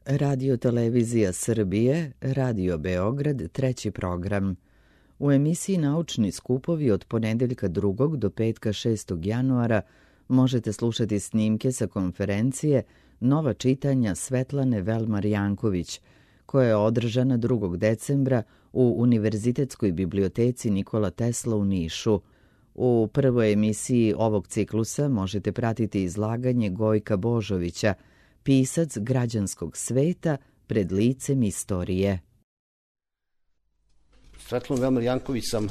Radio Televizija Srbije, Radio Beograd, treći program. U emisiji Naučni skupovi od ponedeljka 2. do petka 6. januara možete slušati snimke sa konferencije Nova čitanja Svetlane Velmar Janković, koja je održana 2. decembra u Univerzitetskoj biblioteci Nikola Tesla u Nišu. U prvoj emisiji ovog ciklusa možete pratiti izlaganje Gojka Božovića, pisac građanskog sveta pred licem istorije. Svetlanu Velmar Janković sam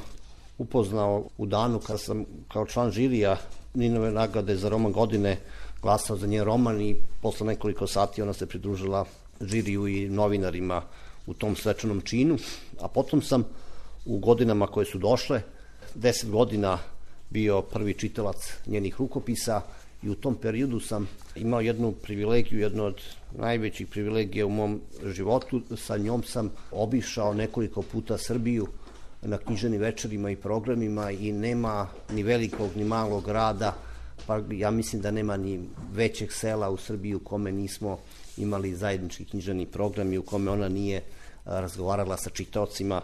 upoznao u danu kada sam kao član žirija Ninove nagrade za roman godine glasao za njen roman i posle nekoliko sati ona se pridružila žiriju i novinarima u tom svečanom činu, a potom sam u godinama koje su došle 10 godina bio prvi čitalac njenih rukopisa i u tom periodu sam imao jednu privilegiju, jednu od najvećih privilegija u mom životu. Sa njom sam obišao nekoliko puta Srbiju na književnim večerima i programima i nema ni velikog ni malog grada, pa ja mislim da nema ni većeg sela u Srbiji u kome nismo imali zajednički književni program i u kome ona nije razgovarala sa čitaocima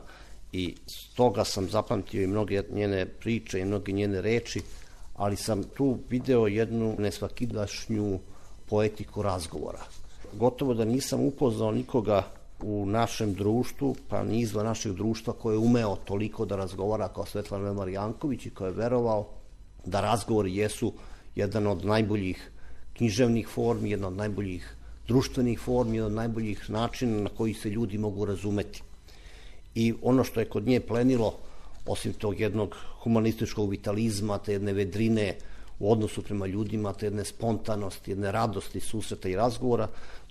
i stoga sam zapamtio i mnoge njene priče i mnoge njene reči, ali sam tu video jednu nesvakidašnju poetiku razgovora. Gotovo da nisam upoznao nikoga u našem društvu, pa ni izvan našeg društva, koji je umeo toliko da razgovara kao Svetlana Velmar Janković i koji je verovao da razgovori jesu jedan od najboljih književnih formi, jedna od najboljih društvenih formi, jedan od najboljih načina na koji se ljudi mogu razumeti. I ono što je kod nje plenilo, osim tog jednog humanističkog vitalizma, te jedne vedrine u odnosu prema ljudima, te jedne spontanosti, jedne radosti susreta i razgovora,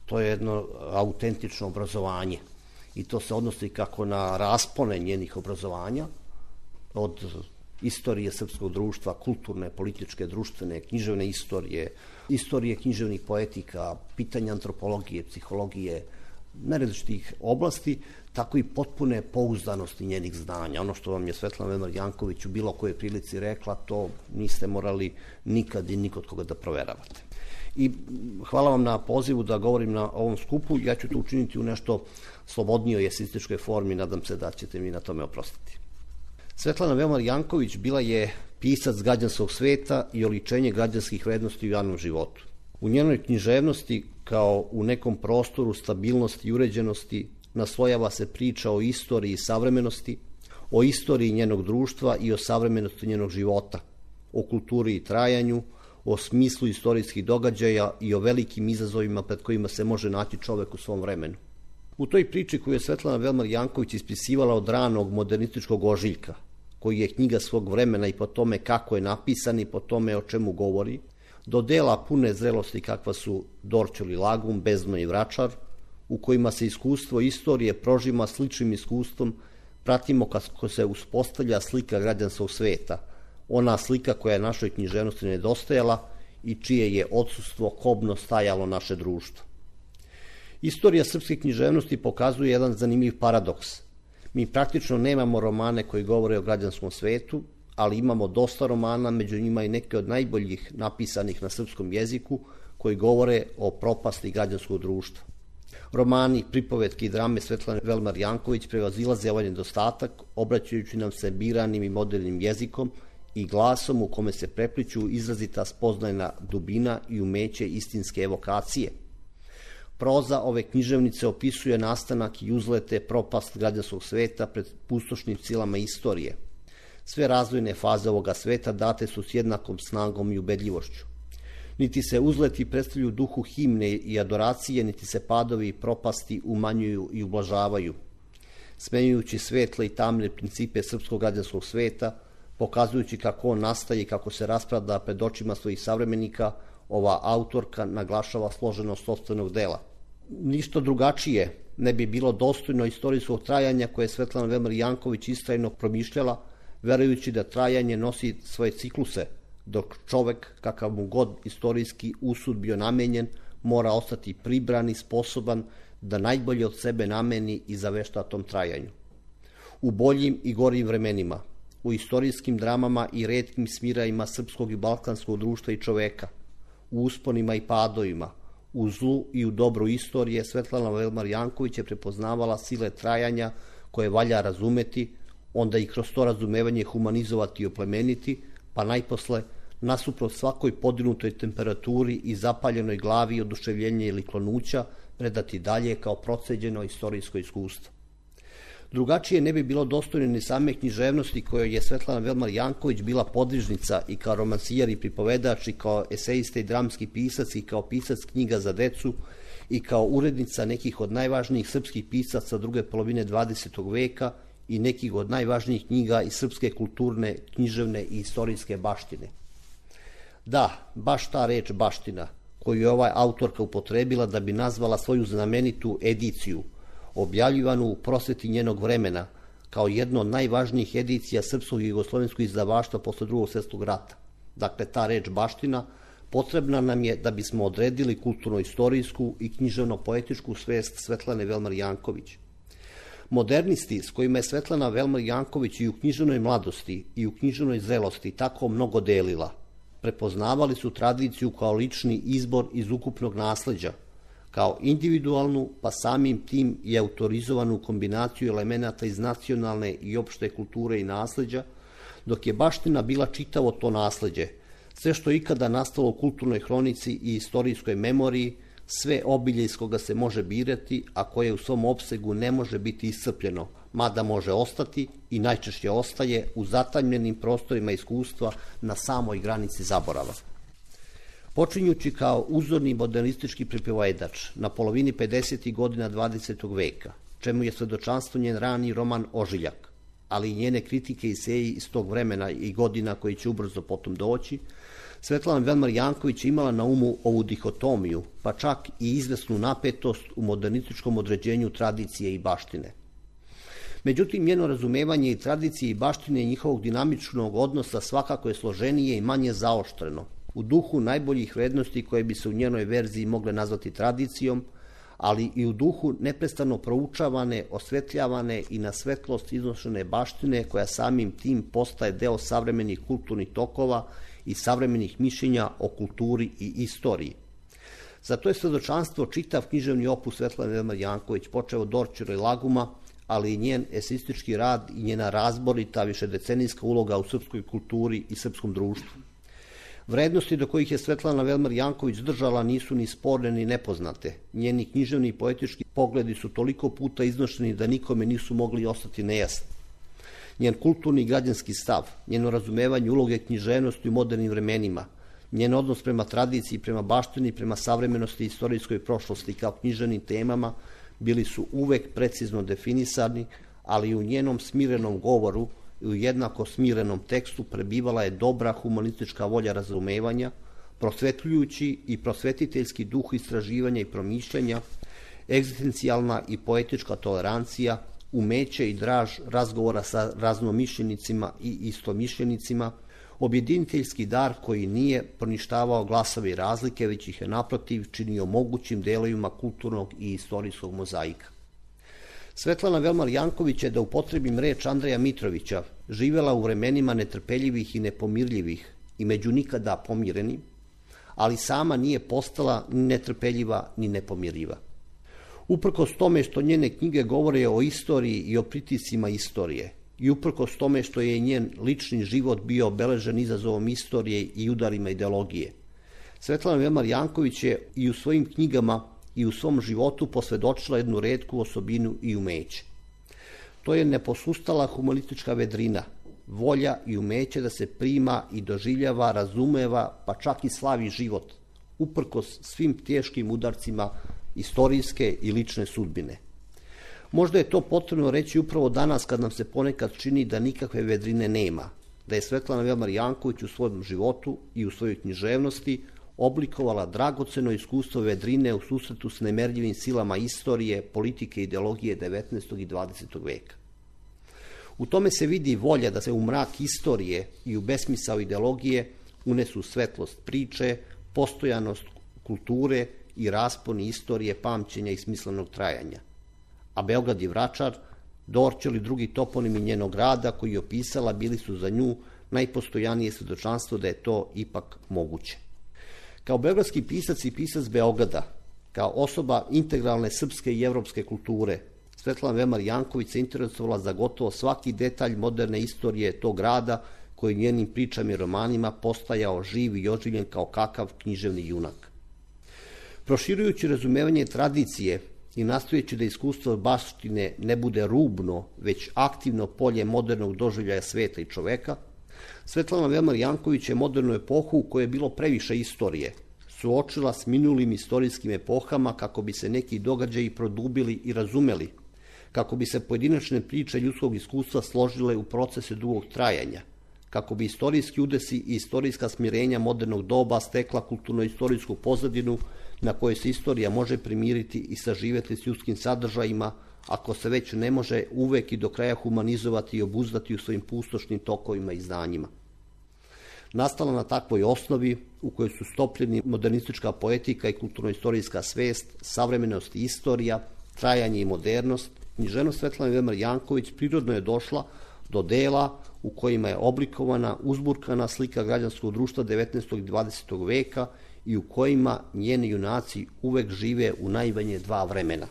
to je jedno autentično obrazovanje. I to se odnosi kako na raspone njenih obrazovanja, od istorije srpskog društva, kulturne, političke, društvene, književne istorije, istorije književnih poetika, pitanja antropologije, psihologije, nerazličitih oblasti, tako i potpune pouzdanosti njenih znanja. Ono što vam je Svetlana Velmar Janković u bilo kojoj prilici rekla, to niste morali nikad i nikod koga da proveravate. I hvala vam na pozivu da govorim na ovom skupu. Ja ću to učiniti u nešto slobodnijoj eseističkoj formi, nadam se da ćete mi na tome oprostiti. Svetlana Velmar Janković bila je pisac građanskog sveta i oličenje građanskih vrednosti u javnom životu. U njenoj književnosti, kao u nekom prostoru stabilnosti i uređenosti, naslojava se priča o istoriji i savremenosti, o istoriji njenog društva i o savremenosti njenog života, o kulturi i trajanju, o smislu istorijskih događaja i o velikim izazovima pred kojima se može naći čovek u svom vremenu. U toj priči koju je Svetlana Velmar Janković ispisivala od ranog modernističkog ožiljka, koji je knjiga svog vremena i po tome kako je napisan i po tome o čemu govori, do dela pune zrelosti kakva su Dorćol i Lagum, Bezno i Vračar, u kojima se iskustvo istorije prožima sličnim iskustvom, pratimo kako se uspostavlja slika građanskog sveta, ona slika koja je našoj književnosti nedostajala i čije je odsustvo kobno stajalo naše društvo. Istorija srpske književnosti pokazuje jedan zanimljiv paradoks. Mi praktično nemamo romane koji govore o građanskom svetu, ali imamo dosta romana, među njima i neke od najboljih napisanih na srpskom jeziku, koji govore o propasti građanskog društva. Romani, pripovetke i drame Svetlane Velmar Janković prevazilaze ovaj nedostatak, obraćajući nam se biranim i modernim jezikom i glasom u kome se prepliću izrazita spoznajna dubina i umeće istinske evokacije. Proza ove književnice opisuje nastanak i uzlete propast građanskog sveta pred pustošnim silama istorije. Sve razvojne faze ovoga sveta date su s jednakom snagom i ubedljivošću. Niti se uzleti predstavljuju duhu himne i adoracije, niti se padovi i propasti umanjuju i ublažavaju. Smenjujući svetle i tamne principe srpskog građanskog sveta, pokazujući kako on nastaje i kako se raspada pred očima svojih savremenika, ova autorka naglašava složenost sopstvenog dela. Ništa drugačije ne bi bilo dostojno istorijskog trajanja koje je Svetlana Velmar Janković istrajno promišljala, verujući da trajanje nosi svoje cikluse, dok čovek, kakav mu god istorijski usud bio namenjen, mora ostati pribran i sposoban da najbolje od sebe nameni i zavešta tom trajanju. U boljim i gorim vremenima, u istorijskim dramama i retkim smirajima srpskog i balkanskog društva i čoveka, u usponima i padovima, U zlu i u dobru istorije Svetlana Velmar Janković je prepoznavala sile trajanja koje valja razumeti, onda i kroz to razumevanje humanizovati i oplemeniti, pa najposle, nasuprot svakoj podigutoj temperaturi i zapaljenoj glavi oduševljenja ili klonuća, predati dalje kao proceđeno istorijsko iskustvo. Drugačije ne bi bilo dostojno ni same književnosti kojoj je Svetlana Velmar Janković bila podvižnica i kao romansijer i pripovedač i kao esejista i dramski pisac i kao pisac knjiga za decu i kao urednica nekih od najvažnijih srpskih pisaca druge polovine 20. veka i nekih od najvažnijih knjiga iz srpske kulturne, književne i istorijske baštine. Da, baš ta reč baština, koju je ova autorka upotrebila da bi nazvala svoju znamenitu ediciju, objavljivanu u prosveti njenog vremena, kao jedno od najvažnijih edicija srpskog i jugoslovenskog izdavaštva posle Drugog svjetskog rata. Dakle, ta reč baština potrebna nam je da bismo odredili kulturno-istorijsku i književno-poetičku svest Svetlane Velmar Janković. Modernisti s kojima je Svetlana Velmar Janković i u književnoj mladosti i u književnoj zrelosti tako mnogo delila, prepoznavali su tradiciju kao lični izbor iz ukupnog nasleđa, kao individualnu, pa samim tim i autorizovanu kombinaciju elemenata iz nacionalne i opšte kulture i nasleđa, dok je baština bila čitavo to nasleđe, sve što je ikada nastalo u kulturnoj hronici i istorijskoj memoriji, sve obilje iz koga se može birati, a koje u svom opsegu ne može biti iscrpljeno, mada može ostati i najčešće ostaje u zatamljenim prostorima iskustva na samoj granici zaborava. Počinjući kao uzorni modernistički pripovedač na polovini 50. godina 20. veka, čemu je svedočanstvo njen rani roman Ožiljak, ali i njene kritike i eseji iz tog vremena i godina koji će ubrzo potom doći, Svetlana Velmar Janković imala na umu ovu dihotomiju, pa čak i izvesnu napetost u modernističkom određenju tradicije i baštine. Međutim, njeno razumevanje i tradicije i baštine njihovog dinamičnog odnosa svakako je složenije i manje zaoštreno, u duhu najboljih vrednosti koje bi se u njenoj verziji mogle nazvati tradicijom, ali i u duhu neprestano proučavane, osvetljavane i na svetlost iznošene baštine koja samim tim postaje deo savremenih kulturnih tokova i savremenih mišljenja o kulturi i istoriji. Zato je svedočanstvo čitav književni opus Svetlane Velmar Janković, počeo od Dorćera i Laguma, ali i njen eseistički rad i njena razborita višedecenijska uloga u srpskoj kulturi i srpskom društvu. Vrednosti do kojih je Svetlana Velmar Janković držala nisu ni sporne ni nepoznate. Njeni književni i poetički pogledi su toliko puta iznošeni da nikome nisu mogli ostati nejasni. Njen kulturni i građanski stav, njeno razumevanje uloge književnosti u modernim vremenima, njen odnos prema tradiciji, prema baštini, prema savremenosti i istorijskoj prošlosti kao književnim temama bili su uvek precizno definisani, ali i u njenom smirenom govoru i u jednako smirenom tekstu prebivala je dobra humanistička volja razumevanja, prosvetljujući i prosvetiteljski duh istraživanja i promišljanja, egzistencijalna i poetička tolerancija, umeće i draž razgovora sa raznomišljenicima i istomišljenicima, objediniteljski dar koji nije poništavao glasove i razlike, već ih je naprotiv činio mogućim delovima kulturnog i istorijskog mozaika. Svetlana Velmar Janković je, da upotrebim reč Andreja Mitrovića, živela u vremenima netrpeljivih i nepomirljivih i među nikada pomireni, ali sama nije postala ni netrpeljiva ni nepomirljiva. Uprkos tome što njene knjige govore o istoriji i o pritiscima istorije, i uprkos tome što je njen lični život bio obeležen izazovom istorije i udarima ideologije, Svetlana Velmar Janković je i u svojim knjigama i u svom životu posvedočila jednu retku osobinu i umeće. To je neposustala humanistička vedrina, volja i umeće da se prima i doživljava, razumeva, pa čak i slavi život, uprkos svim teškim udarcima istorijske i lične sudbine. Možda je to potrebno reći upravo danas kad nam se ponekad čini da nikakve vedrine nema, da je Svetlana Velmar Janković u svom životu i u svojoj književnosti oblikovala dragoceno iskustvo vedrine u susretu s nemerljivim silama istorije, politike i ideologije 19. i 20. veka. U tome se vidi volja da se u mrak istorije i u besmisao ideologije unesu svetlost priče, postojanost kulture i rasponi istorije, pamćenja i smislenog trajanja. A Beograd i Vračar, Dorćol i drugi toponimi njenog rada koji je opisala bili su za nju najpostojanije svedočanstvo da je to ipak moguće. Kao beogradski pisac i pisac Beograda, Kao osoba integralne srpske i evropske kulture, Svetlana Velmar Janković se interesovala za gotovo svaki detalj moderne istorije tog grada, koji njenim pričama i romanima postajao živ i oživljen kao kakav književni junak. Proširujući razumevanje tradicije i nastojeći da iskustvo baštine ne bude rubno, već aktivno polje modernog doživljaja sveta i čoveka, Svetlana Velmar Janković je modernu epohu u kojoj je bilo previše istorije suočila s minulim istorijskim epohama kako bi se neki događaji produbili i razumeli, kako bi se pojedinačne priče ljudskog iskustva složile u procese dugog trajanja, kako bi istorijski udesi i istorijska smirenja modernog doba stekla kulturno-istorijsku pozadinu na kojoj se istorija može primiriti i saživeti s ljudskim sadržajima, ako se već ne može uvek i do kraja humanizovati i obuzdati u svojim pustošnim tokovima i znanjima. Nastala na takvoj osnovi u kojoj su stopljeni modernistička poetika i kulturno-istorijska svest, savremenost i istorija, trajanje i modernost, književnost Svetlane Velmar Janković prirodno je došla do dela u kojima je oblikovana uzburkana slika građanskog društva 19. i 20. veka i u kojima njeni junaci uvek žive u najmanje dva vremena.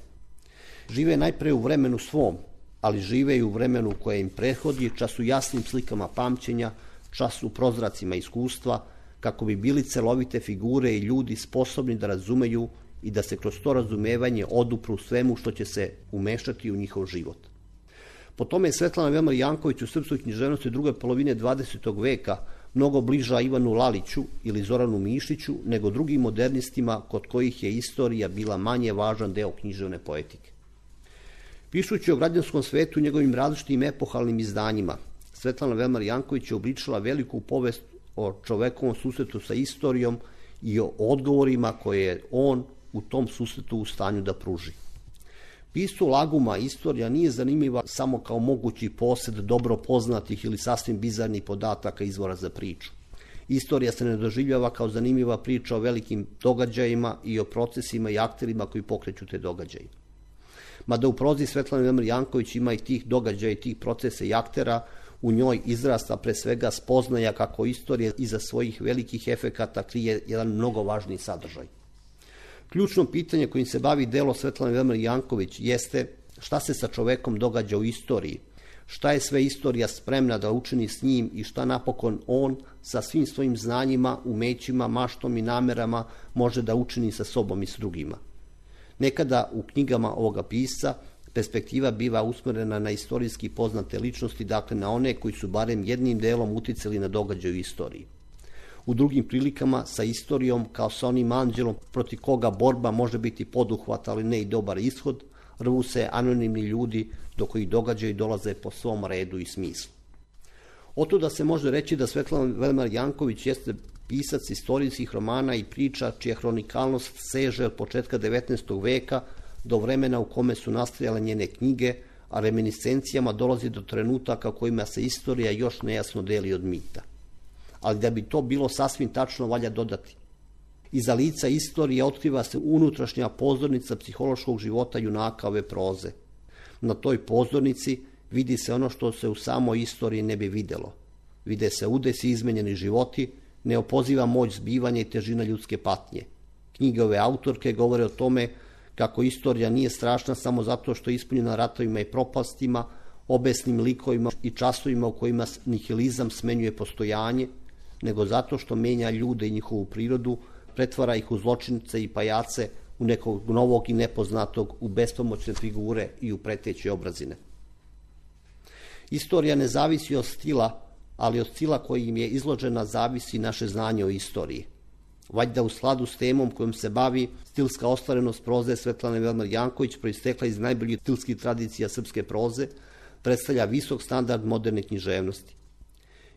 Žive najpre u vremenu svom, ali žive i u vremenu koje im prethodi, čas u jasnim slikama pamćenja, čas u prozracima iskustva, kako bi bili celovite figure i ljudi sposobni da razumeju i da se kroz to razumevanje odupru svemu što će se umešati u njihov život. Po tome je Svetlana Velmar Janković u srpskoj književnosti druge polovine 20. veka mnogo bliža Ivanu Laliću ili Zoranu Mišiću nego drugim modernistima kod kojih je istorija bila manje važan deo književne poetike. Pišući o građanskom svetu i njegovim različitim epohalnim izdanjima, Svetlana Velmar Janković je obličila veliku povest o čovekovom susretu sa istorijom i o odgovorima koje je on u tom susretu u stanju da pruži. Piscu Laguma istorija nije zanimljiva samo kao mogući posed dobro poznatih ili sasvim bizarnih podataka izvora za priču. Istorija se ne doživljava kao zanimljiva priča o velikim događajima i o procesima i akterima koji pokreću te događaje. Mada u prozi Svetlane Velmar Janković ima i tih događaja i tih procesa i aktera, u njoj izrasta pre svega spoznaja kako istorija iza svojih velikih efekata krije jedan mnogo važniji sadržaj. Ključno pitanje kojim se bavi delo Svetlane Velmar Janković jeste šta se sa čovekom događa u istoriji, šta je sve istorija spremna da učini s njim i šta napokon on sa svim svojim znanjima, umećima, maštom i namerama može da učini sa sobom i s drugima. Nekada u knjigama ovoga pisca perspektiva biva usmerena na istorijski poznate ličnosti, dakle na one koji su barem jednim delom uticali na događaj u istoriji. U drugim prilikama sa istorijom kao sa onim anđelom protiv koga borba može biti poduhvat, ali ne i dobar ishod, rvu se anonimni ljudi do kojih događaji dolaze po svom redu i smislu. Otuda se može reći da Svetlana Velmar Janković jeste pisac istorijskih romana i priča čija hronikalnost seže od početka 19. veka do vremena u kome su nastajale njene knjige, a reminiscencijama dolazi do trenutaka u kojima se istorija još nejasno deli od mita. Ali da bi to bilo sasvim tačno, valja dodati. Iza lica istorije otkriva se unutrašnja pozornica psihološkog života junaka ove proze. Na toj pozornici vidi se ono što se u samoj istoriji ne bi videlo. Vide se udesi, izmenjeni životi, neopoziva moć zbivanja i težina ljudske patnje. Knjige ove autorke govore o tome kako istorija nije strašna samo zato što je ispunjena ratovima i propastima, obesnim likovima i časovima u kojima nihilizam smenjuje postojanje, nego zato što menja ljude i njihovu prirodu, pretvara ih u zločince i pajace, u nekog novog i nepoznatog, u bespomoćne figure i u preteće obrazine. Istorija ne zavisi od stila, ali od stila kojim je izložena zavisi naše znanje o istoriji. Valjda u skladu s temom kojom se bavi, stilska ostvarenost proze Svetlane Velmar Janković, proistekla iz najboljih stilskih tradicija srpske proze, predstavlja visok standard moderne književnosti.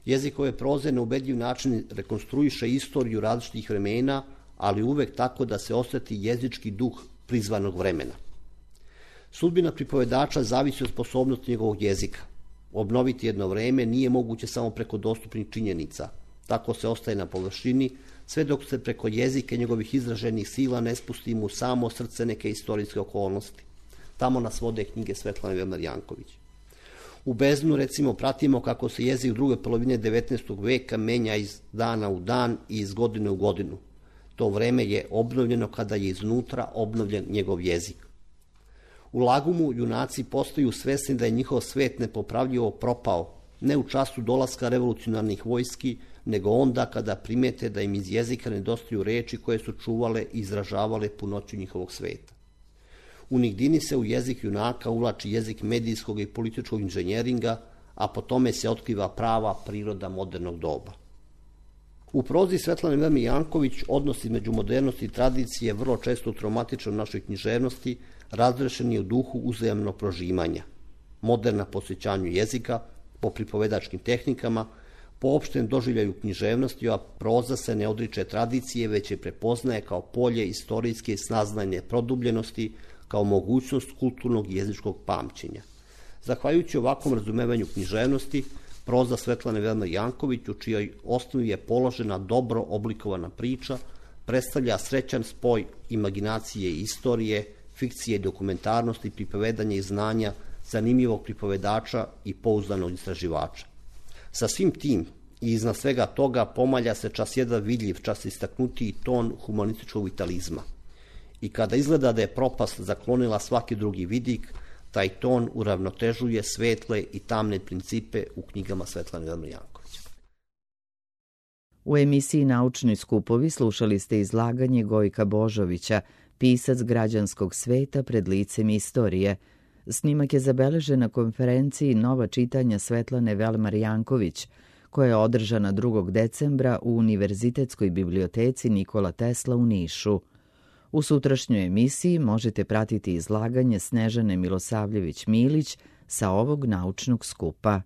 Jezik ove proze na ubedljiv način rekonstruiše istoriju različitih vremena, ali uvek tako da se osjeti jezički duh prizvanog vremena. Sudbina pripovedača zavisi od sposobnosti njegovog jezika. Obnoviti jedno vreme nije moguće samo preko dostupnih činjenica. Tako se ostaje na površini, sve dok se preko jezika njegovih izraženih sila ne spustimo u samo srce neke istorijske okolnosti. Tamo nas vode knjige Svetlane Velmar Janković. U Beznu, recimo, pratimo kako se jezik druge polovine 19. veka menja iz dana u dan i iz godine u godinu. To vreme je obnovljeno kada je iznutra obnovljen njegov jezik. U Lagumu junaci postaju svesni da je njihov svet nepopravljivo propao, ne u času dolaska revolucionarnih vojski, nego onda kada primete da im iz jezika nedostaju reči koje su čuvale i izražavale punoću njihovog sveta. U Nigdini se u jezik junaka uvlači jezik medijskog i političkog inženjeringa, a po tome se otkriva prava priroda modernog doba. U prozi Svetlane Velme Janković odnos između modernosti i tradicije vrlo često traumatičan u našoj književnosti, razrešen je u duhu uzajamnog prožimanja. Moderna po osjećanju jezika, po pripovedačkim tehnikama, po opštem doživljaju književnosti, a proza se ne odriče tradicije, već je prepoznaje kao polje istorijske saznajne produbljenosti, kao mogućnost kulturnog i jezičkog pamćenja. Zahvaljujući ovakvom razumevanju književnosti, proza Svetlane Velme Janković, u čijoj osnovi je položena dobro oblikovana priča, predstavlja srećan spoj imaginacije i istorije, fikcije i dokumentarnosti, pripovedanja i znanja, zanimljivog pripovedača i pouzdanog istraživača. Sa svim tim i iznad svega toga pomalja se čas jedan vidljiv, čas istaknutiji ton humanističkog vitalizma. I kada izgleda da je propast zaklonila svaki drugi vidik, taj ton uravnotežuje svetle i tamne principe u knjigama Svetlane Velme Janković. U emisiji Naučni skupovi slušali ste izlaganje Gojka Božovića, pisac građanskog sveta pred licem istorije. Snimak je zabeležen na konferenciji Nova čitanja Svetlane Velmar Janković, koja je održana 2. decembra u Univerzitetskoj biblioteci Nikola Tesla u Nišu. U sutrašnjoj emisiji možete pratiti izlaganje Snežane Milosavljević-Milić sa ovog naučnog skupa.